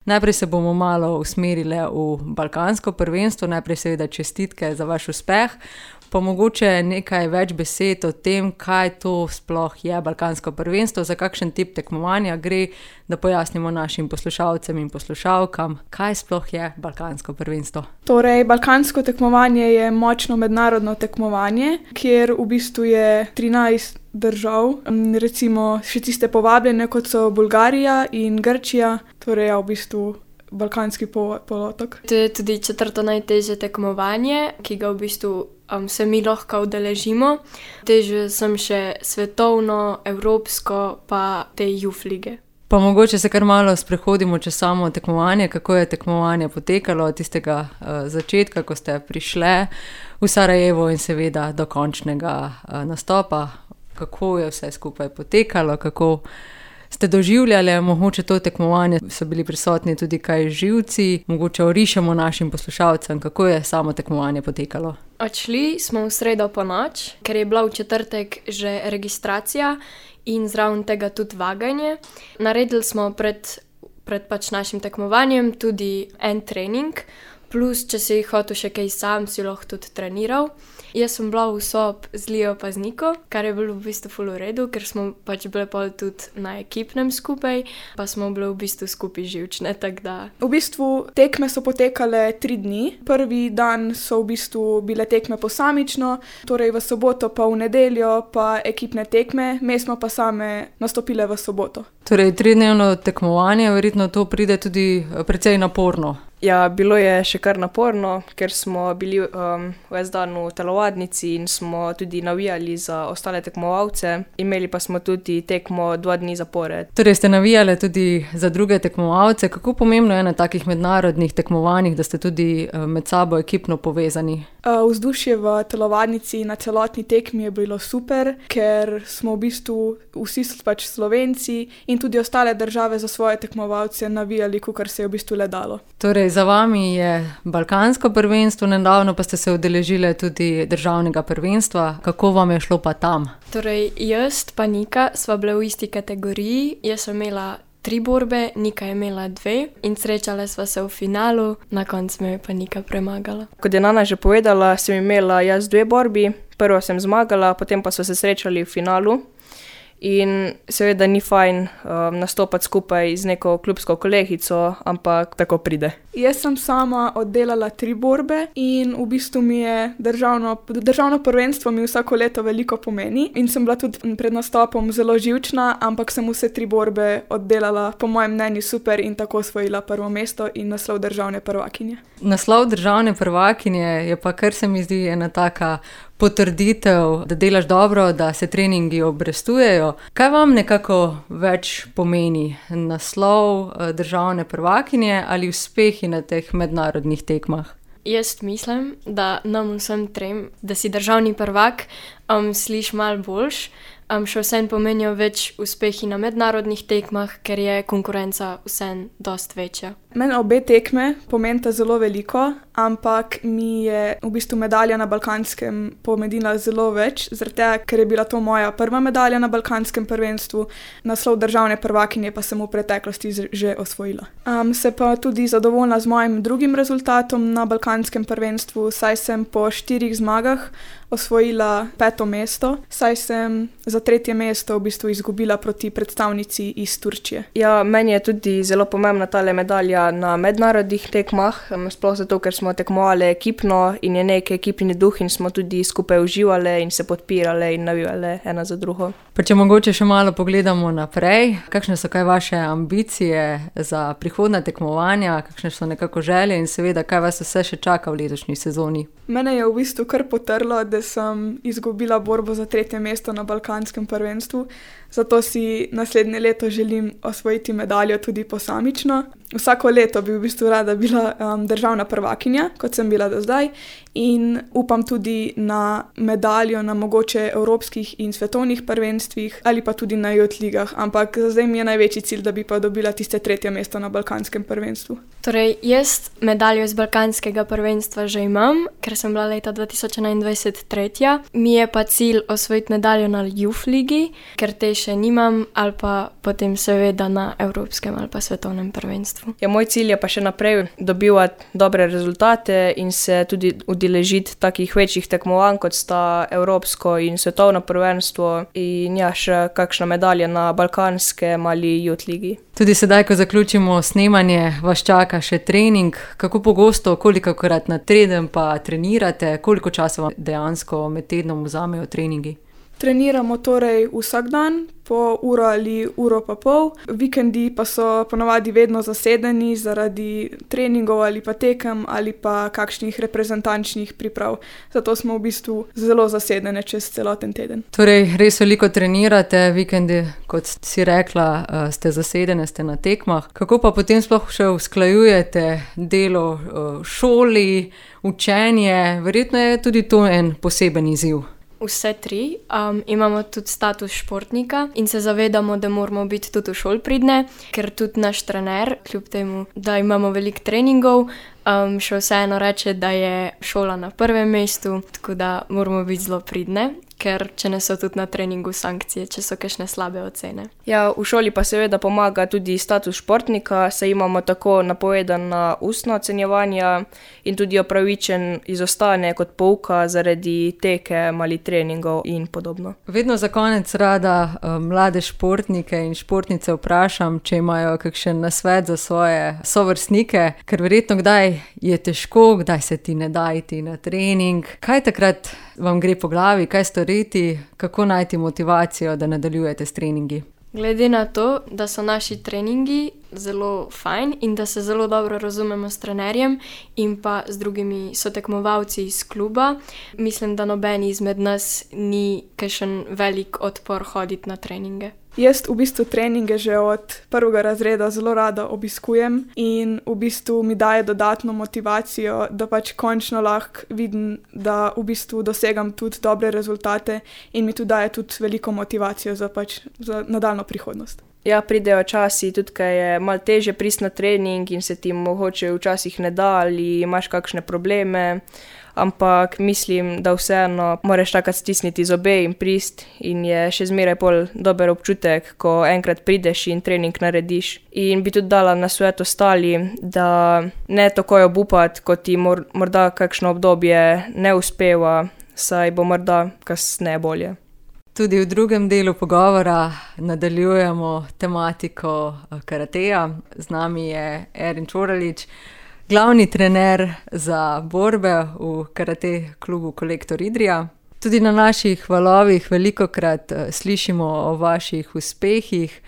Najprej se bomo malo usmerili v balkansko prvenstvo, najprej seveda čestitke za vaš uspeh, pa mogoče nekaj več besed o tem, kaj to sploh je balkansko prvenstvo, za kakšen tip tekmovanja gre, da pojasnimo našim poslušalcem in poslušalkam, kaj sploh je balkansko prvenstvo. Torej, balkansko tekmovanje je močno mednarodno tekmovanje, kjer v bistvu je 13 držav, recimo še tiste povabljene, kot so Bolgarija in Grčija, torej v bistvu balkanski polotok. To je tudi 4. najtežje tekmovanje, ki ga v bistvu se mi lahko udeležimo. Težje sem še svetovno, evropsko, pa te Youth lige. Pa mogoče se kar malo sprehodimo čez samo tekmovanje, kako je tekmovanje potekalo od tistega začetka, ko ste prišli v Sarajevo in seveda do končnega nastopa. Kako je vse skupaj potekalo, kako ste doživljali, mogoče to tekmovanje, so bili prisotni tudi kaj živci, mogoče orišemo našim poslušalcem, kako je samo tekmovanje potekalo. Odšli smo v sredo ponoč, ker je bila v četrtek že registracija in zraven tega tudi vaganje. Naredili smo pred našim tekmovanjem tudi en trening, plus če si hotel še kaj sam, si lahko tudi treniral. Jaz sem bila v sobi z Lijo pa z Niko, kar je bilo v bistvu ful v redu, ker smo bile pol tudi na ekipnem skupaj, pa smo bile v bistvu skupaj živčne, tako da. V bistvu tekme so potekale 3 dni. Prvi dan so v bistvu bile tekme posamično, torej v soboto pa v nedeljo pa ekipne tekme, mi smo pa same nastopile v soboto. Torej 3-dnevno tekmovanje, verjetno to pride tudi precej naporno. Ja, bilo je še kar naporno, ker smo bili ves dan v telovadnici in smo tudi navijali za ostale tekmovalce. Imeli pa smo tudi tekmo 2 dni zapored. Torej ste navijali tudi za druge tekmovalce. Kako pomembno je na takih mednarodnih tekmovanjih, da ste tudi med sabo ekipno povezani? Vzdušje v telovadnici na celotni tekmi je bilo super, ker smo v bistvu vsi pač Slovenci in tudi ostale države za svoje tekmovalce navijali, kakor se je v bistvu le dalo. Torej, za vami je balkansko prvenstvo, nedavno pa ste se udeležili tudi državnega prvenstva. Kako vam je šlo pa tam? Torej, jaz pa Nika sva bile v isti kategoriji, jaz sem imela 3 borbe, Nika je imela 2 in srečale sva se v finalu, na koncu me je pa Nika premagala. Kot je Nana že povedala, sem imela jaz 2 borbi, prvo sem zmagala, potem pa sva se srečali v finalu. In seveda ni fajn nastopati skupaj z neko klubsko kolegico, ampak tako pride. Jaz sem sama oddelala 3 borbe in v bistvu mi je državno prvenstvo mi vsako leto veliko pomeni in sem bila tudi pred nastopom zelo živčna, ampak sem vse 3 borbe oddelala po mojem mnenju super in tako osvojila prvo mesto in naslov državne prvakinje. Naslov državne prvakinje je pa, kar se mi zdi, ena taka potrditev, da delaš dobro, da se treningi obrestujejo. Kaj vam nekako več pomeni? Naslov državne prvakinje ali uspehi na teh mednarodnih tekmah? Jaz mislim, da nam vsem trem, da si državni prvak, sliši malo boljš, še vsem pomenijo več uspehi na mednarodnih tekmah, ker je konkurenca vsem dost večja. Meni obe tekme pomenita zelo veliko, ampak mi je v bistvu medalja na balkanskem pomenila zelo več, zaradi tega, ker je bila to moja prva medalja na balkanskem prvenstvu, naslov državne prvakinje pa sem v preteklosti že osvojila. Se pa tudi zadovoljna z mojim drugim rezultatom na balkanskem prvenstvu, saj sem po 4 zmagah osvojila 5. mesto, saj sem za 3. mesto v bistvu izgubila proti predstavnici iz Turčije. Ja, meni je tudi zelo pomembna tale medalja na mednarodnih tekmah, sploh zato, ker smo tekmovali ekipno in je nek ekipni duh in smo tudi skupaj uživali in se podpirali in navijali ena za drugo. Pa če mogoče še malo pogledamo naprej, kakšne so kaj vaše ambicije za prihodnja tekmovanja, kakšne so nekako želje in seveda, kaj vas vse še čaka v letošnji sezoni? Mene je v bistvu kar potrlo, da sem izgubila borbo za 3. mesto na balkanskem prvenstvu, zato si naslednje leto želim osvojiti medaljo tudi posamično. Vsako leto bi v bistvu rada bila državna prvakinja, kot sem bila do zdaj, in upam tudi na medaljo na mogoče evropskih in svetovnih prvenstvih ali pa tudi na youth ligah, ampak za zdaj mi je največji cilj, da bi pa dobila tiste 3. mesto na balkanskem prvenstvu. Torej, jaz medaljo iz balkanskega prvenstva že imam, ker sem bila leta 2021 tretja. Mi je pa cilj osvojiti medaljo na youth ligi, ker te še nimam, ali pa potem seveda na evropskem ali pa svetovnem prvenstvu. Ja, moj cilj je pa še naprej dobivati dobre rezultate in se tudi udeležiti takih večjih tekmovanj, kot sta evropsko in svetovno prvenstvo in ja, še kakšna medalja na balkanskem ali youth ligi. Tudi sedaj, ko zaključimo snemanje, vas čaka še trening. Kako pogosto, kolikokrat na teden pa trenirate? Koliko časa vam dejansko med tednom vzamejo treningi? Treniramo torej vsak dan, po uro ali uro pa pol. Vikendi pa so ponavadi vedno zasedeni zaradi treningov ali pa tekem ali pa kakšnih reprezentančnih priprav. Zato smo v bistvu zelo zasedene čez celoten teden. Torej, res veliko trenirate, vikendi, kot si rekla, ste zasedene, ste na tekmah. Kako pa potem sploh še usklajujete delo v šoli, učenje? Verjetno je tudi to en poseben izziv. Vse tri. Imamo tudi status športnika in se zavedamo, da moramo biti tudi v šoli pridne, ker tudi naš trener, kljub temu, da imamo veliko treningov, še vseeno reče, da je šola na prvem mestu, tako da moramo biti zelo pridne, ker če ne so tudi na treningu sankcije, če so kakšne slabe ocene. Ja, v šoli pa seveda pomaga tudi status športnika, saj imamo tako napovedana ustna ocenjevanja in tudi opravičen izostane kot pouka zaradi tekem ali treningov in podobno. Vedno za konec rada mlade športnike in športnice vprašam, če imajo kakšen nasvet za svoje sovrstnike, ker verjetno kdaj je težko, kdaj se ti ne da iti na trening. Kaj takrat vam gre po glavi, kaj storiti, kako najti motivacijo, da nadaljujete s treningi? Glede na to, da so naši treningi zelo fajn in da se zelo dobro razumemo s trenerjem in pa z drugimi sotekmovalci iz kluba, mislim, da noben izmed nas ni kakšen velik odpor hoditi na treninge. Jaz v bistvu treninge že od prvega razreda zelo rada obiskujem in v bistvu mi daje dodatno motivacijo, da pač končno lahko vidim, da v bistvu dosegam tudi dobre rezultate in mi tudi daje tudi veliko motivacijo za nadaljno prihodnost. Ja, pridejo časi, tudi ko je malo težje priti na trening in se ti mogoče včasih ne da ali imaš kakšne probleme, ampak mislim, da vseeno moraš takrat stisniti zobe in priti in je še zmeraj pol dober občutek, ko enkrat prideš in trening narediš. In bi tudi dala nasvet ostali, da ne takoj obupati, ko ti morda kakšno obdobje ne uspeva, saj bo morda kasneje bolje. Tudi v drugem delu pogovora nadaljujemo tematiko karateja. Z nami je Erin Čoralič, glavni trener za borbe v karate klubu Kolektor Idrija. Tudi na naših valovih velikokrat slišimo o vaših uspehih.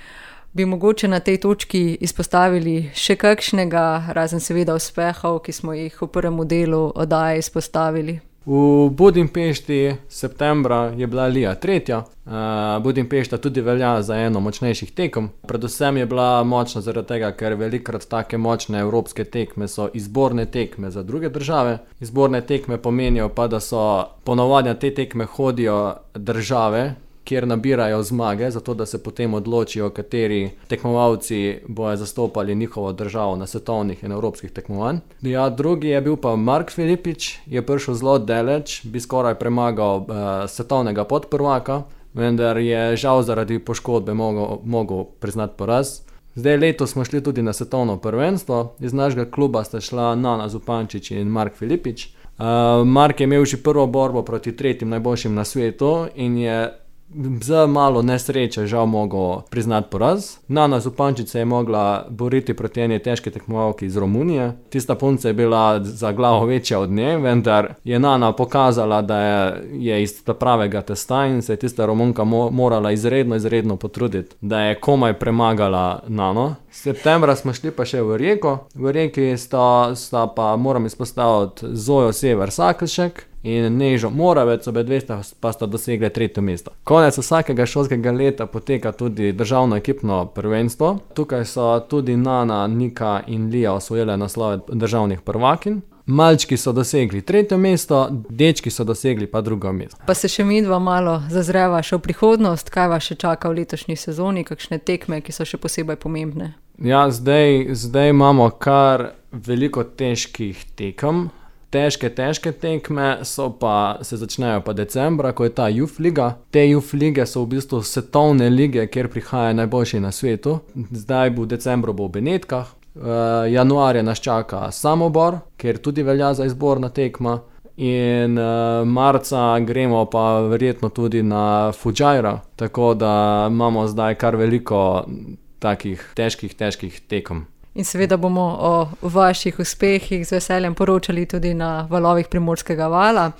Bi mogoče na tej točki izpostavili še kakšnega, razen seveda uspehov, ki smo jih v prvem delu oddaje izpostavili? V Budimpešti septembra je bila Lija 3. Budimpešta tudi velja za eno močnejših tekem. Predvsem je bila močna zaradi tega, ker velikokrat take močne evropske tekme so izborne tekme za druge države. Izborne tekme pomenijo pa, da so ponavadi na te tekme hodijo države, kjer nabirajo zmage, zato da se potem odločijo, kateri tekmovalci bojo zastopali njihovo državo na svetovnih in evropskih tekmovanj. Ja, drugi je bil pa Mark Filipič, je prišel zelo daleč, bi skoraj premagal svetovnega podprvaka, vendar je žal zaradi poškodbe mogel priznati poraz. Zdaj letos smo šli tudi na svetovno prvenstvo, iz našega kluba sta šla Nana Zupančič in Mark Filipič. Mark je imel že prvo borbo proti tretjim najboljšim na svetu in je za malo nesreče žal mogel priznati poraz. Nana Zupančič se je mogla boriti proti eni težki tekmovalki iz Romunije. Tista punca je bila za glavo večja od nje, vendar je Nana pokazala, da je iz pravega testa in se je tista Romunka morala izredno potruditi, da je komaj premagala Nano. Septembra smo šli pa še v Rijeko. V Rijeki sta pa, moram izpostaviti, Zojo Sever Sakelšek in Nežo Moravec, obe dve pa sta dosegli 3. mesto. Konec vsakega šolskega leta poteka tudi državno ekipno prvenstvo. Tukaj so tudi Nana, Nika in Lija osvojile naslove državnih prvakinj. Malčki so dosegli 3. mesto, dečki so dosegli pa 2. mesto. Pa se še midva malo zazreva še v prihodnost, kaj vas še čaka v letošnji sezoni, kakšne tekme, ki so še posebej pomembne? Ja, zdaj imamo kar veliko težkih tekem. Težke tekme se začnejo pa decembra, ko je ta Youth Liga. Te Youth Lige so v bistvu svetovne lige, kjer prihajajo najboljši na svetu. Zdaj v decembru bo v Benetkah, januarja nas čaka Samobor, kjer tudi velja za izborna tekma. In marca gremo pa verjetno tudi na Fujairah, tako da imamo zdaj kar veliko takih težkih tekem. In seveda bomo o vaših uspehih z veseljem poročali tudi na valovih Primorskega vala.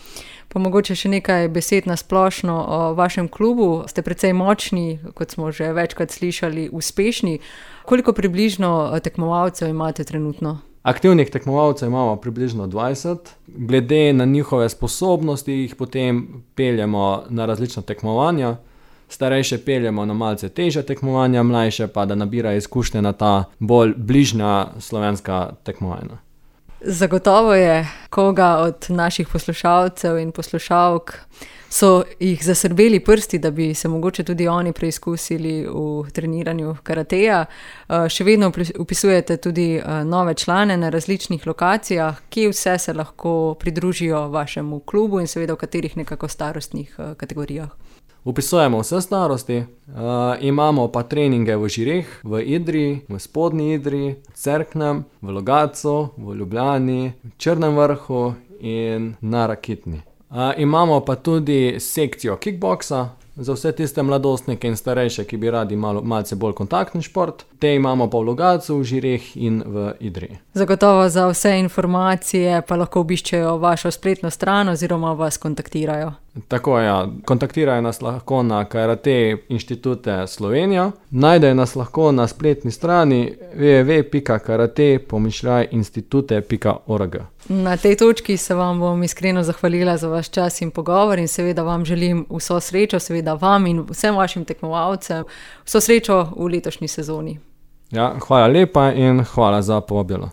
Pa mogoče še nekaj besed na splošno o vašem klubu. Ste precej močni, kot smo že večkrat slišali, uspešni. Koliko približno tekmovalcev imate trenutno? Aktivnih tekmovalcev imamo približno 20. Glede na njihove sposobnosti jih potem peljemo na različna tekmovanja. Starejše peljemo na malce težja tekmovanja, mlajše pa da nabirajo izkušnje na ta bolj bližnja slovenska tekmovanja. Zagotovo je koga od naših poslušalcev in poslušalk so jih zasrbeli prsti, da bi se mogoče tudi oni preizkusili v treniranju karateja. Še vedno vpisujete tudi nove člane na različnih lokacijah, kje vse se lahko pridružijo vašemu klubu in seveda v katerih nekako starostnih kategorijah. Vpisujemo vse starosti, imamo pa treninge v Žireh, v Idriji, v Spodnji Idriji, v Cerknem, v Logatcu, v Ljubljani, v Črnem Vrhu in na Rakitni. Imamo pa tudi sekcijo kickboksa za vse tiste mladostnike in starejše, ki bi radi malce bolj kontaktni šport. Te imamo pa v Logatcu, v Žireh in v Idriji. Zagotovo za vse informacije pa lahko obiščejo vašo spletno stran oziroma vas kontaktirajo. Tako ja, kontaktirajo nas lahko na Karate Inštitute Slovenija. Najdejo nas lahko na spletni strani www.karate-institute.org. Na tej točki se vam bom iskreno zahvalila za vaš čas in pogovor in seveda vam želim vso srečo, seveda vam in vsem vašim tekmovalcem, vso srečo v letošnji sezoni. Ja, hvala lepa in hvala za povabilo.